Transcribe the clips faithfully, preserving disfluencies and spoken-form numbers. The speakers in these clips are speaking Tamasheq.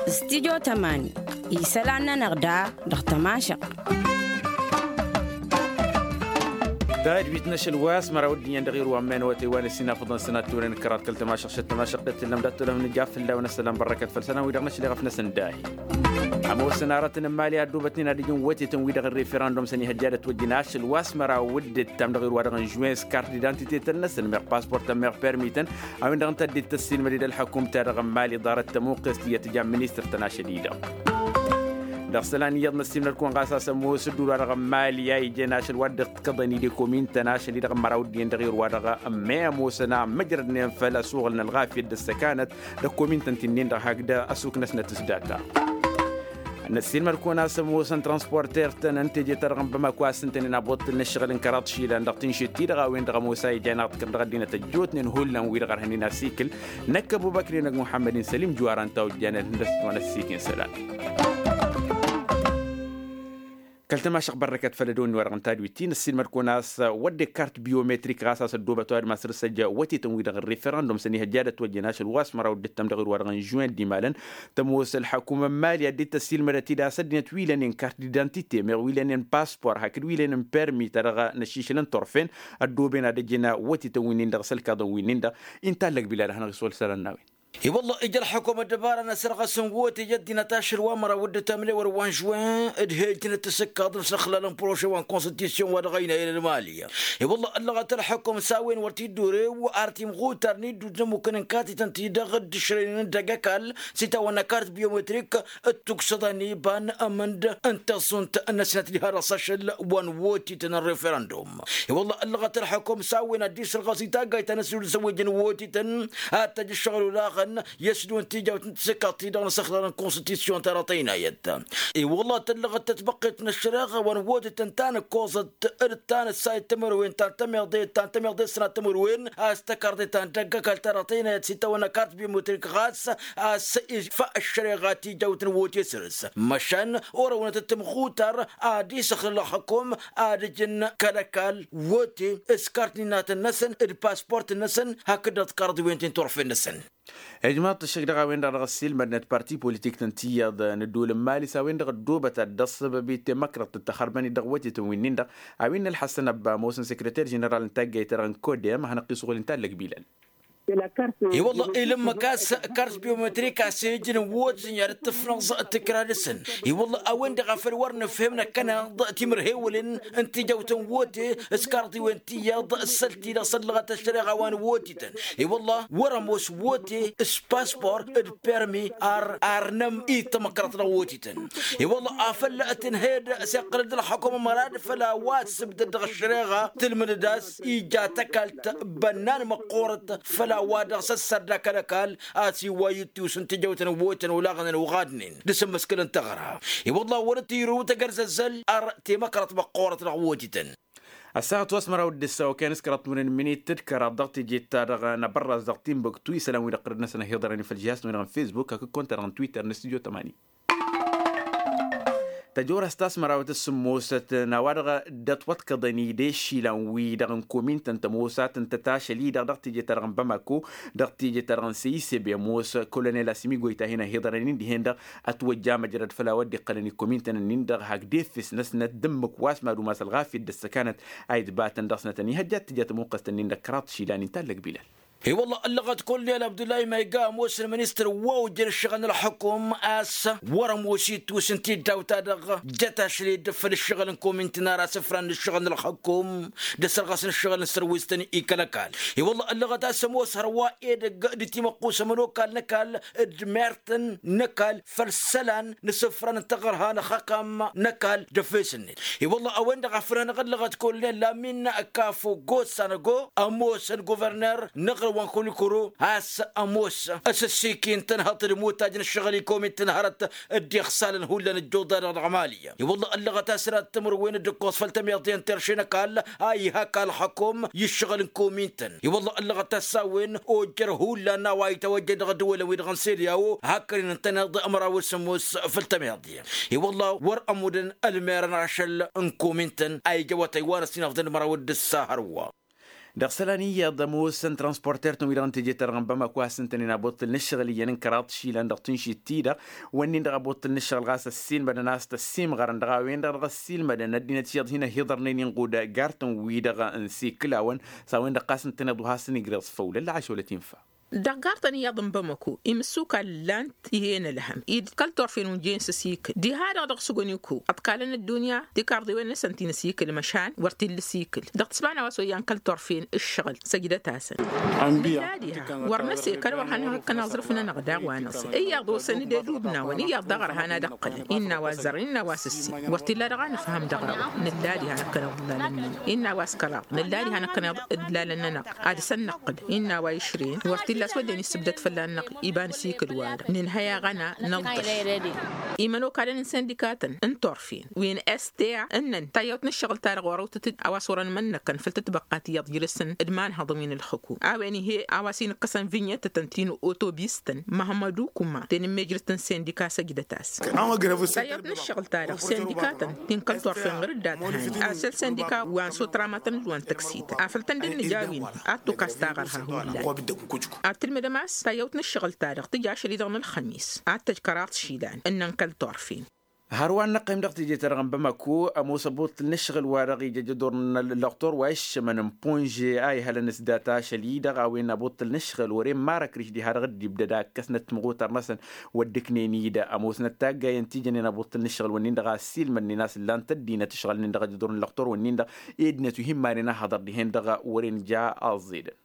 Studyo tămani isălan-nănăɣ da dăɣ-tămašăɣt. Tadwit n-ašăl wa s-măraw dd-iyyăn dăɣ-irwa n-men wa tăywan ăssinafăḍăn sănat turăn kăraḍ kăl-tămašăɣt šăt tămašăɣt d-tǝllăm dat-tolăm nǝja fălla-wen ăssălan bărrăkăt făll-sănat wi-dăɣ năšleɣ ăfnăsăn dahi. Ămoosăn aratăn n-imali a ăddoobătnen ad-ǝjǝn wătetăn wi-dăɣ n-referandum s-ănihăjja ad-ătwăjjăn ašăl wa s-măraw d-ǝttam dăɣ-irwa-dăɣ n-žuwens kart d-identitetăn-năsăn meɣ pasport meɣ permităn a-wen-dăɣ ǝnta dd-tăssilmăd-dd ălḥăkum-ta-dăɣ n-imali ḍarăt tămuqqest iyyăt ǝja n-ministăr-tăn ašăl-i-dăɣ. Dăɣ-isălan iyyăḍ năssiimnăd-kăwăn ɣas a-s ămoos ǝddul-wa-dăɣ n-imali a ijen ašăl wa dd-ǝḍkăḍăn-dd i-komin-tăn ašăl-i-dăɣ n-măraw ǝddǝyăn dăɣ-irwa-dăɣ n-mem osăn a ămmăjrădnen făll-asuɣǝl n-ălɣafyăt d-ăssăkanăt dăɣ-komin-tăn ti-nin-dăɣ hakd ăsuknăsnăt s-data. Năssiilmăd-kăwăn a-s ămoosăn transporter-tăn n-teje-ta-dăɣ n-bamako a-s ǝntănen abuṭṭǝl n-ǝššăɣǝl n-kăraḍ išilan dăɣ-tinšit-ti-dăɣ a-wen-dăɣ ămoos a ijan aḍkăr dăɣ-ăddinăt ăjjootnen hullan wi-dăɣ ărhănen asikǝl. Năkk ăbubăkri năgg muḥămmăd-in sălim juwar ănta ojjan ălhǝndăs-t wa n-ăssiik n-isălan. Kăl-tămašăɣt bărrăkăt făll-ădăwănni wa dăɣ-n tadwit-ti năssiilmăd-kăwăn a-s wădden kart biyometrik ɣas a-s ăddoobăt ăwadǝm a săr-săjja wătetăn wi-dăɣ n-referandum s-ănihăjja ad-ătwăjjăn ašăl wa s-măraw dd-ǝttăm dăɣ-irwa-dăɣ n-žuwen d-imalăn. Tămoos ălḥăkum n-imali ad-dd-tăssiilmădăt-dd a-s ăddinăt wi lănen kart d-identite meɣ wi lănen paspor hakd wi lănen permi ta dăɣ-năššišǝlăn turfen ăddooben ad-ăjǝn wătetăn wi-nin-dăɣ s-ălkaḍăn wi-nin-dăɣ. Intallăg bila ad-hanăɣ-iswăl isălan n-a-wen. I-wălla ija ălḥăkum ăddăbara n-asărɣăs n-wote i-ăddinăt ašăl wa măraw dd-ătamlewăr wa n-žuwen d-he-ǝjnăt s-ǝkkaḍăn s-ăxlal n-proše wa n-konstitusyon wa dăɣ-ăynayăn ălmali. I-wălla ăllăɣăt ălḥăkum s-a-wen wăr t-dd-orew ar timɣutar n-iddud n-ămmukăn n-katităn-ti-dăɣ dd-ǝšrăynen d-agăkall s-itawănna kart biyometrik d-tuksăḍa n-iba n-amǝnd n-taẓunt-năsnăt diha dăɣ-s ašăl wa n-wotităn n-referandum. I-wălla ăllăɣăt ălḥăkum s-a-wen ad-dd-isǝrɣăs i-taggayt ta n-asǝlud s-ăwwăjăn wotităn ad-tăj ǝššăɣǝl olaɣăn i-ăsdǝwăn tijawt n-tisǝkkaḍt-ti-dăɣ n-asăxlăr n-konstitusyon ta dăɣ-tăynayăt. I-wălla tăllăɣăt tătbăqqet n-ăššăreɣa wa n-wotităn ta n-ǝkkoẓăt d-ta n-ăssayăt timǝrwen ta n-tămiḍe ta n-tămiḍe s-sănat timǝrwen a-s tăkarḍe ta n-dăgg-ăkall ta dăɣ-tăynayăt s-itawănna kart biometrik ɣas a-s ifa ăššăreɣa tijawt n-wote săr-s măšan orăwnăt d-timɣutar ad-isăxlăl ălxăkum ad-ǝjǝn kăl-ăkall wote s-kart n-innatăn-năsăn d-pasport-năsăn hakd dăɣ-tikarḍiwen ti n-turfen-năsăn. Ijmaḍ-t ăššăk dăɣ-a-wen-dăɣ dăɣ-ăssiilmădnăt parti politik-tăn tiyyăḍ n-ăddol n-mali s-a-wen-dăɣ ăddoobăt ad-dd-ăṣṣăbăb i-temăkrăḍt d-taxărbăn-dd dăɣ-wătetăn wi-nin-dăɣ a-wen n-ălḥăssăn ăbba ămoosăn sekreter ženeral n-taggayt-ta-dăɣ n-kodem a hanăɣ-t-isuɣǝl inta ăllăg bilal. I-wălla ilǝmmăk a-s kart biometrik a-s ijǝn n-wotǝtăn i-ad-dd-tǝfnăẓ tikra dăɣ-săn. I-wălla a-wen-dăɣ a făl wăr nǝfhem năkkăneḍ timǝrhewǝlăn n-tijawt n-wote s-karḍiwen tiyyăḍ s-săl-ti-dăɣ săllăɣăt ăššăreɣa wa n-wotǝtăn. I-wălla wăr-ămoos wote s-paspor d-permi ar arnăm i-tamăkrăḍt dăɣ-wotǝtăn. I-wălla a făl tǝnhed s-iqqăl-dd ălxăkum ămăra d-făl a-wa t-sǝbdăd dăɣ-ăššăreɣa tǝlmǝdăd a-s ija takalt bănnan măqqoorăt făll-a-wa dăɣ-s ăssarda kăl-ăkall a-s iwway ittus n-tijăwt n-wotăn olaɣăn ănuɣadnen d-asǝmmǝskǝl n-taɣra. I-wălla wăr t-irǝw tăgărzăzzăl ar temăkrăḍt măqqoorăt dăɣ-wotǝtăn. Ăssaɣăt wa s-măraw d-ǝssa okăyăn s-kăraḍ n-wăren minit d-kăraḍ dăɣ-teje-ta-dăɣ n-abărraz dăɣ-timbuktu isălan wi-dăɣ qărăd-năsăn ăhiḍărăn i-făll-žihas n-wăren n-fesbuk hakd konta-dăɣ n-twitter n-studio tămani. Tăjorăst ta s-mărawăt s-sǝmmosăt n-a-wa-dăɣ dd-ătwăḍkăḍăn-i d-ešilan-wi-dăɣ n-komin-tăn tămoos a tǝntăt ašăl-i-dăɣ dăɣ-teje-ta-dăɣ n-bamako dăɣ-teje-ta-dăɣ n-seyisebe ămoos kolonel asimigo itahǝn ăhiḍărăn-in dihen-dăɣ ătwăjja măjrăd făll-a-wa dd-iqqălăn i-komin-tăn-nin-dăɣ hakd efes-năsnăt d-ǝmmǝk wa s-mad-umas ălɣafyăt d-ăssăkanăt a itbatăn dăɣ-snăt ănihăjja d-tǝja tamuqqăst-nin-dăɣ kăraḍ išilan inta ăllăg bilal. I-wălla ăllăɣăt kolonel abdullahi mayga ămoos n-ministăr wa ojăn ǝššăɣǝl n-ălxukum a-s wăr-ămoos ittus n-tiddawt-ta-dăɣ jăt ašăl-i dd-făl ǝššăɣǝl n-komin-tăn ar asǝfran n-ǝššăɣǝl n-ălxukum d-asărɣas n-ǝššăɣǝl n-sărwistăn i-kăl-ăkall. I-wălla ăllăɣăt a-s ămoos hărwa edăgg d-timăqqus ămănokal n-ăkall d-mertăn n-ăkall făll-isălan n-asǝfran n-taɣărha n-axăkam n-ăkall d-efes-net. I-wălla a-wen-dăɣ a făl hanăɣ-ăllăɣăt kolonel lamin kafo gosanăgo ămoosăn guverner n-aɣrǝw wa n-kulikuru a-s ămoos s-ăssiikin tănhăḍt d-imutaj n-ǝššăɣǝl i-komin-tăn hărăt dd-iɣsalăn hullan ǝjjuḍa-dăɣ dăɣ-mali. I-wălla ăllăɣăt a-s ărat timǝrwen d-ǝkkoẓ făll-tămiḍe n-terše n-ăkall a ihak ălxăkum i-ǝššăɣǝl n-komin-tăn. I-wălla ăllăɣăt a-s a-wen ojjăr hullan a-wa itawăjjăn dăɣ-ăddăwălăn-wi-dăɣ n-sirya o hakd-in ǝntăneḍ ămraw s-ămoos făll-tămiḍe. I-wălla wăr-ămmudăn ălmerăn ašăl n-komin-tăn a ija awătay wa n-ăsinăfḍăn d-măraw d-ǝssa hărwa. Dăɣ-isălan iyyăḍ ămoosăn transporter-tăn-wi-dăɣ n-teje-ta-dăɣ n-bamako a-s ǝntănen abuṭṭǝl n-ǝššăɣǝl iyyăn n-kăraḍ išilan dăɣ-tǝnšit-ti-dăɣ. Wănnin-dăɣ abuṭṭǝl n-ǝššăɣǝl ɣas ăssiilmădăn a-s tăssiimɣărăn dăɣ-a-wen-dăɣ dăɣ-ăssiilmădăn ăddinăt iyyăḍ hin-ăhiḍărnen inɣud gartăn-wi-dăɣ n-sikǝlawăn. S-a-wen-dăɣ ɣas ǝntăneḍ wa hasăn-igrăẓ făw lălla ašăwălăt infa. Dăɣ-gartăn iyyăḍ n-bamako imǝssukal ǝllan-t ih'-en ălhăm-i d-kăl-turfen wi n-jen s-asikǝl diha-dăɣ dăɣ-sugăn iko ăḍkalăn ăddunya tikarḍewen-năsăn ti n-asikǝl măšan wăr t-illa asikǝl. Dăɣ-tǝsmana wa s-oyyan kăl-turfen ǝššăɣǝl săjdăt-asăn. Nǝlla diha wăr năsekăl wăr hanăɣ-ǝkkăn aẓrǝf-nănăɣ daɣ wa năẓrǝf iyyăḍ osăn-dd edubnawăn iyyăḍ daɣ ărhan ad-ăqqǝlăn innă wa ăzzărăn innă wa s-ǝssin wăr t-illa dăɣ-anǝfham dăɣ-a-wa. Nǝlla diha năkkăneḍ ǝllalăn-nănăɣ innă wa s-kăraḍ nălla diha năkkăneḍ ǝllalăn-nănăɣ ad-dăɣ-săn năqqǝl innă a-wa išrǝyăn wăr t-illa a-s wădden issǝbdăd fălla-nănăɣ. Iba n-asikǝl-wa-dăɣ nǝnhăy aɣăna năḍḍăš. Imănokalăn n-sindikatăn n-turfen wi n-sta ǝnnăn tayyăwt n-ǝššăɣǝl-ta-dăɣ orăwtăt-dd a-wa s-orăn imănnăkăn făll-tătbăqqat iyyăḍ jilǝsăn d-imanhăḍăn wi n-ǝlxǝkum a-wen ih'-e a-wa s-inǝkkăsăn vinyetătăn ti n-otobistăn măhămmădu kuma tenǝmmejrǝt n-sindika săjdăt-as. Tayyăwt n-ǝššăɣǝl-ta-dăɣ sindikatăn ti n-kăl-turfen ɣur-dd ad-tăhani asăl sindika wa n-sotramătăn d-wa n-tăksităn afăl tăn-dd-nǝja wi-năhăn ad-tukas taɣărha hullan. Ad-tǝlmǝdăm a-s tayyăwt n-ǝššăɣǝl-ta-dăɣ tǝja ašăl-i-dăɣ n-ălxămis ad-tăj kăraḍ išilan ǝnnăn kăl-turfen. Hărwa n-năqqim dăɣ-teje-ta-dăɣ n-bamako ămoos ăbuṭṭǝl n-ǝššăɣǝl-wa-dăɣ ija jădur n-ăllăɣtor wa iššămăn n-ponže a ihălăn s-data ašăl-i-dăɣ a-wen abuṭṭǝl n-ǝššăɣǝl wăren marăkrǝš diha-dăɣ dd-ibdăd a ǝkkăsnăt timɣutar-năsăn. Wăr dd-ǝknen-i-dăɣ ămoosnăt taggayăn ti jănen abuṭṭǝl n-ǝššăɣǝl-wǝnnin-dăɣ a ăssiilmădnen a-s ǝllan-t ăddinăt ǝšɣălnen dăɣ-ajădur n-ăllăɣtor-wǝnnin-dăɣ. Ed-năt wi hin-manen a hăḍăr dihen-dăɣ wăren ja aẓedăn.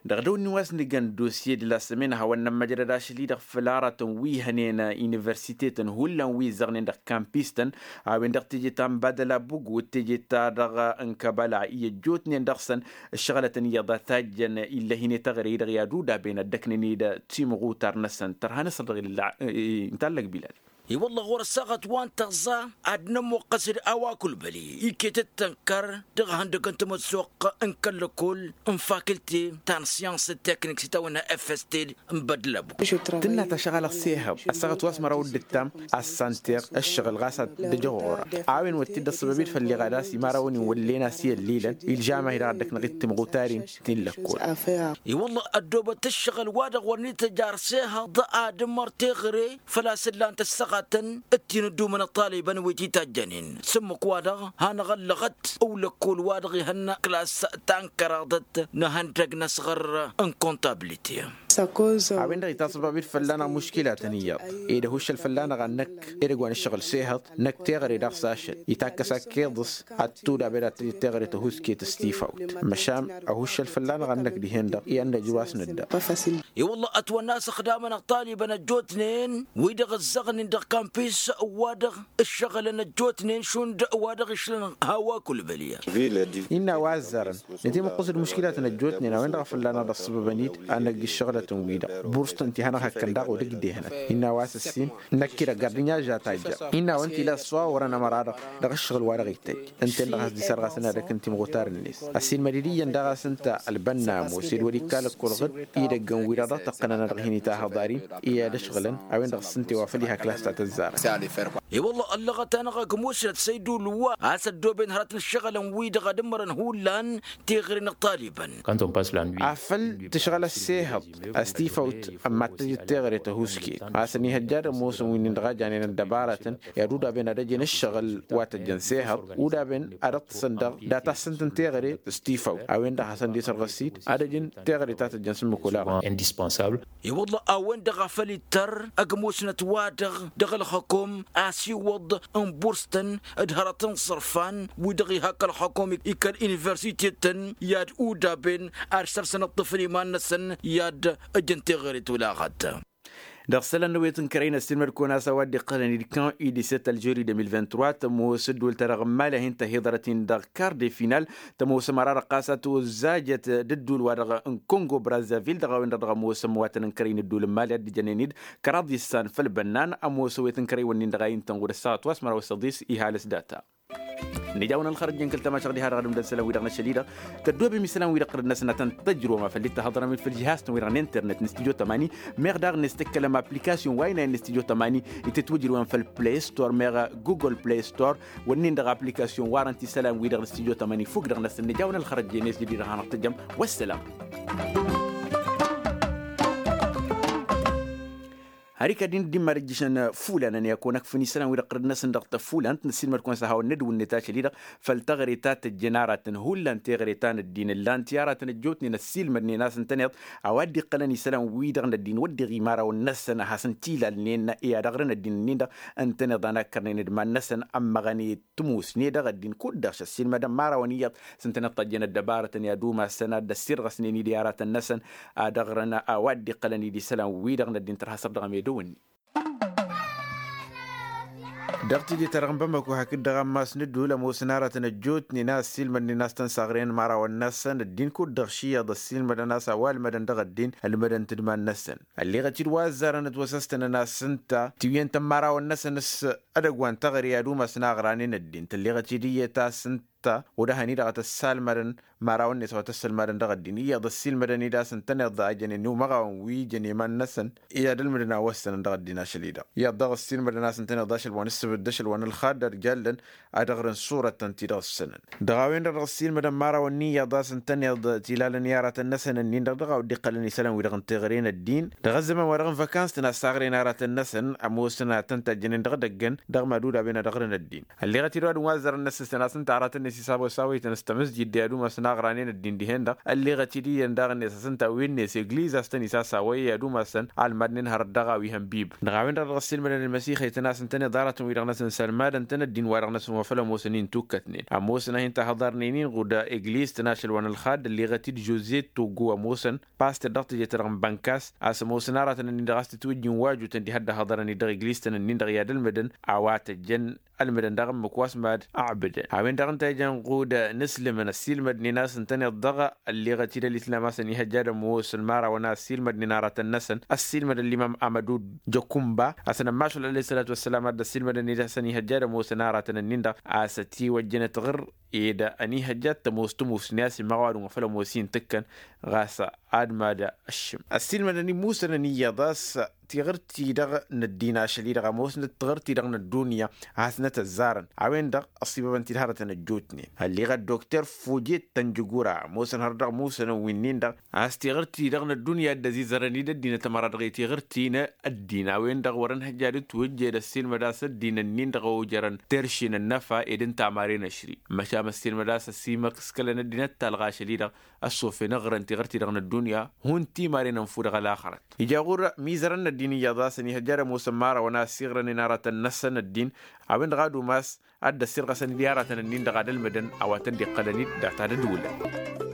Dăɣ-dăw-nin wa s-nǝjăn dosye d-la sămen a hawăn-nămmăjrăd ašăl-i-dăɣ făll-aratăn wi hănen universitetăn hullan wi ǝzzăɣnen dăɣ-kampistăn a-wen-dăɣ teje ta n-badăla bugu d-teje ta dăɣ-n kăbăla i-ăjjootnen dăɣ-săn. Ǝššăɣǝlătăn iyyăḍ a tajjăn illăh-in i-taɣre-i-dăɣ i-ad-udaben ad-dd-ăknăn-dd timɣutar-năsăn tărha n-asăr dăɣ-illa. Ǝnta allăg bilal. I-wălla ɣur-ăssaɣăt wa n-tăẓẓa ad-nămmuqqăs d-a-wa kăl-băli iket d-tănkăr dăɣ-ihăndăg n-tamăssoqt n-kăl-lăkkol n-fakilte ta n-siyans d-teknik s-itawănna efested n-bădlăb. Tǝnna tašăɣalăɣ s-ehăḍ ăssaɣăt wa s-măraw d-ǝttam assanteɣ ǝššăɣǝl ɣas ad-ăjăɣ ɣur-a a-wen wăr t-dd-ăṣṣăbăb-dd făll-iɣad a-s imărawăn-in wăllen a-s i-ăllilăn ilžam-ahi-dăɣ ad-dd-ăknăɣ-dd timɣutărin. Ti n-lăkkol. I-wălla ăddoobăt ǝššăɣǝl-wa-dăɣ wăr n-ităjj ar s-ehăḍ ad-ǝmmăr teɣăre făl-a-s ǝllan-t ăssaɣătăn d-ti n-ǝddumăn ăṭṭalibăn wi t-itajjănen s-ǝmmǝk-wa-dăɣ hanăɣ-ăllăɣăt. Ăwlăkkol-wa-dăɣ ihănna klas ta n-kăraḍăt n-ehăndăg n-asɣăr n-kontabilite. A-wen-dăɣ itaṣăbab-dd fălla-năɣ muškilatăn iyyăḍ ed ăhuššăl fălla-năɣ ad-năkk edăgg wa n-ǝššăɣǝl s-ehăḍ năkk teɣăre daɣ s-ašăl itakk-as akkeḍǝs ad-tudab ed ad-tǝjǝd teɣăre tăhusket s-tifawt. Măšan ăhuššăl fălla-năɣ ad-năkk dihen-dăɣ i-ad-năj wa s-nǝdda. I-wălla ătwănna a-s ăxdamăn ăṭṭalibăn ăjjootnen wi-dăɣ ǝzzăɣnen dăɣ-kampis wa-dăɣ ǝššăɣǝlăn ăjjootnen šund wa dăɣ-išlăn hawa kăl-bălya. Innă a-wa ăzzarăn nǝtimǝqqǝs d-muškilatăn ăjjootnen a-wen-dăɣ a fălla-năɣ dăɣ-sǝbăbăn-dd ad-năgg ǝššăɣǝlătăn-wi-dăɣ burstăn ti hanăɣ-hăkkăn daɣ odăgg dehnăt. Innă a-wa s-ǝssin năkk-i-dăɣ gardǝnya ža tajja. Innă a-wen t-ila ăṣṣuwa wărăn ămăra-dăɣ dăɣ-ǝššăɣǝl wa dăɣ-ittajj ǝnta-en-dăɣ has-dd-isărɣasăn ad-ăkn timɣutar-net. Ăssiilmăd-dd iyyăn daɣ a-s ǝnta ălbănna ămoos ed wăr-ikka lăkkol ɣǝd idăggăn-wi-dăɣ dăɣ-tăqqǝnăn a dăɣ-hin-itahăḍ ad-in i-ad-ăšɣǝlăn. A-wen-dăɣ s-ǝnta i-wa făl iha klas ta tăzzarăn. I-wălla ăllăɣăt-anăɣ ăgg musnăt săydul wa a-s ăddooben hărăt n-ǝššăɣǝlăn-wi-dăɣ ad-ǝmmărăn hullan teɣăre n-ăṭṭalibăn. Afăl tǝšɣăl ăssehăḍ a-s tifawt ămmattăjăt teɣăre tăhusket a-s ănihăjja d-ămoosăn wi-nin-dăɣ a janen ăddăbarătăn i-ad-udaben ad-ăjǝn ǝššăɣǝl wa tăjjăn s-ehăḍ udaben ad-ǝṭṭǝsăn dăɣ-data-săn tǝnteɣăre s-tifawt a-wen-dăɣ hasăn-dd-isărɣǝs-dd ad-ăjǝn teɣăre ta tăjjăn s-ǝmmǝk olaɣăn. I-wălla a-wen-dăɣ a făl ittăr ăgg-musnăt-wa-dăɣ dăɣ-ălxăkom a-s iwwăḍ n-burstăn d-hărăt n-iṣărfan wi-dăɣ iha kăl-xăkom i-kăl-universitetăn i-ad-udaben ad-săr-săn ǝṭṭǝfăn iman-năsăn i-ad-ǝjǝn teɣăre tolaɣăt. Dăɣ-isălan n-awet n-kărăy n-ăssiilmăd-kăwăn a-s a-wa dd-iqqălăn d-kan idisăt ălžuri de mil vint-trois tămoos ăddol-ta-dăɣ n-imali a hin-tăhiḍărăt-in dăɣ-kar de final. Tămoos ămăra-dăɣ ɣas a tozajăt d-ăddol-wa-dăɣ n-kongo brazzavil dăɣ-a-wen-dăɣ dăɣ-ămoosăn iwatăn n-kărăy n-ăddol n-imali a dd-ijănen-dd kăraḍ issan făll-bănnan. Ămoos awet n-kărăy-wǝnnin-dăɣ a intăn ɣur-ăssaɣăt wa s-măraw s-ăḍis ihalǝs data. Nǝjawăn ălxărăt jăn kăl-tămašăɣ diha-dăɣ ad-ǝmdăn isălan-wi-dăɣ n-ašăl-i-dăɣ. Tăddoobem isălan-wi-dăɣ tărǝd-năsăn ad-tăn-tăjrǝwăm afăl dd-tăhăḍrăm-dd făll-žihaz-tăn-wi-dăɣ n-internet n-studio tămani. Meɣ daɣ n-e-s tǝkkălăm application wa inayăn n-studio tămani itǝtwǝjrǝwăm făll-play store meɣ google play store. Wănnen-dăɣ application warăn-t isălan-wi-dăɣ n-studio tămani fuk-dăɣ-năsăn nǝjawăn ălxărăt jenes jădid ad-hanăɣ-tăjjăm. Wăsselam. Har ikad-in dd-immad ǝjjǝšăn fulan ănn i-ad-kăwăn-ăkfǝn isălan-wi-dăɣ tărǝd-năsăn dăɣ-tăfulant năssiilmăd-kăwăn s-ad-hawăn n-ădwǝnnet ašăl-i-dăɣ făll-teɣăre ta tăjjăn aratăn hullan teɣăre ta n-ăddin ǝllan-t i-aratăn ăjjootnen ăssiilmădnen a-s ǝntăneḍ a-wa dd-iqqălăn isălan-wi-dăɣ n-ăddin wăr dd-iɣimar-awăn-năsăn ad-hasăn tilalnen i-ad-ăɣrǝn ăddin-nin-dăɣ ǝntăneḍ a nakkărnen d-iman-năsăn ămmăɣăn i-tǝmusne dăɣ-ăddin kud-dăɣ šăssiilmădăn imărawăn iyyăḍ s-ǝntăneḍ tajjăn ăddăbarătăn i-ad-umasăn ad-dd-ăssirɣăsnen-dd i-aratăn-năsăn ad-ăɣrǝn a-wa dd-iqqălăn-dd isălan-wi-dăɣ n-ăddin tărha săr dăɣ-amedăw-ǝnnin. Dăɣ-tidǝt-ta-dăɣ n-bamako hakd-dăɣ ammas n-ǝddul ămoosăn aratăn ăjjootnen a ăssiilmădnen a-s tăn-saɣren imărawăn-năsăn ăddin kud-dăɣ ši iyyăḍ ăssiilmădăn a-s a-wa ǝlmădăn dăɣ-ăddin ǝlmădăn-t d-iman-năsăn. Ălleɣăt-dd wa ăzzarăn ătwăsăstănăn a-s ǝnta tiwǝyyăn-tăn imărawăn-năsăn s-edăgg wa n-teɣăre i-ad-umasăn aɣranen ăddin tălleɣăt-dd iyyăt a-s ǝnta ănta wăr-ăhăn-i-dăɣ a tăssalmădăn imărawăn-net a wa tăssălmadăn dăɣ-ăddin iyyăḍ ăssiilmădăn-dd a-s ǝntăneḍ a jănen i-umăɣawăn wi jăn i-iman-năsăn i-ad-ǝlmǝdăn a wăssănăn dăɣ-ăddin ašăl-i-dăɣ iyyăḍ daɣ ăssiilmădăn a-s ǝntăneḍ ašăl wa n-ǝssǝbǝd d-ašăl wa n-ălxadd ărjalăn ad-ăɣrǝn ṣurătăn-ti-dăɣ ǝssănăn. Dăɣ-a-wen-dăɣ dăɣ-ăssiilmădăn imărawăn n-iyyăḍ a-s ǝntăneḍ tilalăn i-aratăn-năsăn-ǝnnin-dăɣ dăɣ-a-wa dd-iqqălăn isălan-wi-dăɣ n-teɣăre n-ăddin dăɣ-ăzzăman wa dăɣ-n văkans-tăn a ssaɣren aratăn-năsăn ămoosăn ad-tăn-tajjănen dăɣ-edăggăn dăɣ-mad-ulawen ad-ăɣrǝn ăddin. Ălleɣăt-dd wa dăɣ-n wa ăzzărăn-năsăn a-s ǝnta aratăn-net isawăsawăytăn s-tamǝzjid i-ad-umasăn aɣranen ăddin dihen-dăɣ ălleɣăt-dd iyyăn daɣ-net a-s ǝnta a-wen-net egliz a-s tăn-isasawăy i-ad-umasăn almadnen hărăt dăɣ-a-wi hăn bib. Dăɣ-a-wen-dăɣ dăɣ-ăssiilmădăn ălmăsixăytăn a-s ǝntăneḍ aratăn-wi-dăɣ-năsăn sălmadăn-tăn ăddin wa dăɣ-năsăn wa făll-ămoosăn-in tukkătnen ămoosăn a hin-tahăḍarnen-in ɣud egliz-tăn ašăl wa n-ălxadd ălleɣăt-dd žoze toggo ămoosăn paster dăɣ-teje-ta-dăɣ n-bănkas a-s ămoosăn aratăn-ǝnnin-dăɣ a-s tǝtwǝjjǝn wajutăn diha dd-ăhhăḍărăn-dd dăɣ-egliz-tăn-ǝnnin-dăɣ i-ad-ălmǝdăn a-wa tăjjăn ălmǝdăn daɣ ǝmmǝk wa s-mad-ăɣbǝdăn. A-wen-dăɣ ǝnta ijăn ɣud n-ǝslǝmăn ăssiilmădnen a-s ǝntăneḍ-dăɣ ălleɣăt-dd ălitlam a-s ănihăjja ad-ămoos ălmarawăn a ăssiilmădnen aratăn-năsăn ăssiilmădăn limam amădud jăkumba a-s ănămmašul alăyh s-sălat wa s-sălam a dd-ăssiilmădăn-dd a-s ănihăjja ad-ămoosăn aratăn-ǝnnin-dăɣ a-s ătiwăjjăn ătɣǝr ed ănihăjja ad-tămoos tǝmusne a-s imăɣ ăwadǝm wa făll-ămoos-i n-tǝkkăn ɣas ad-mad-ăššǝm. Ăssiilmădăn imusănăn iyyăḍ a-s tiɣǝrt-ti-dăɣ n-ăddin ašăl-i-dăɣ ămoosnăt tiɣǝrt-ti-dăɣ n-ăddunya a hasnăt-ăzzarăn. A-wen-dăɣ ăṣibăbăn-t-dd hărătăn ăjjootnen ălleɣăt dokter fojet tănjǝgura ămoosăn hărăt dăɣ-imusănăn wi-nin-dăɣ a-s tiɣǝrt-ti-dăɣ n-ăddunya a dd-ăzizărăn-dd ăddinăt ămăra dăɣ-i tiɣǝrt-ti n-ăddin a-wen-dăɣ wăr-ănhăjja ad-ǝtwǝjjed ăssiilmăd a-s ăddin-ǝnnin-dăɣ a ojărăn terše n-ănnăfa ed ǝnta amaren ăšri. Măšan ăssiilmăd a-s ăsimăskălăn ăddinăt talɣa ašăl-i-dăɣ ăssofen ăɣrăn tiɣǝrt-ti-dăɣ n-ăddunya hun timaren ănfu dăɣ-ălaxărăt. Ija ɣur-mizărăn n-ăddin iyyăḍ a-s ănihăjja ad-ămoosăn imărawăn a ăssiɣrănen aratăn-năsăn ăddin a-wen-dăɣ ad-umas ad-dd-ăssirɣăsăn-dd i-aratăn-ǝnnin-dăɣ ad-ălmǝdăn a-wa tăn-dd-iqqălăn-dd data d-ădulăn.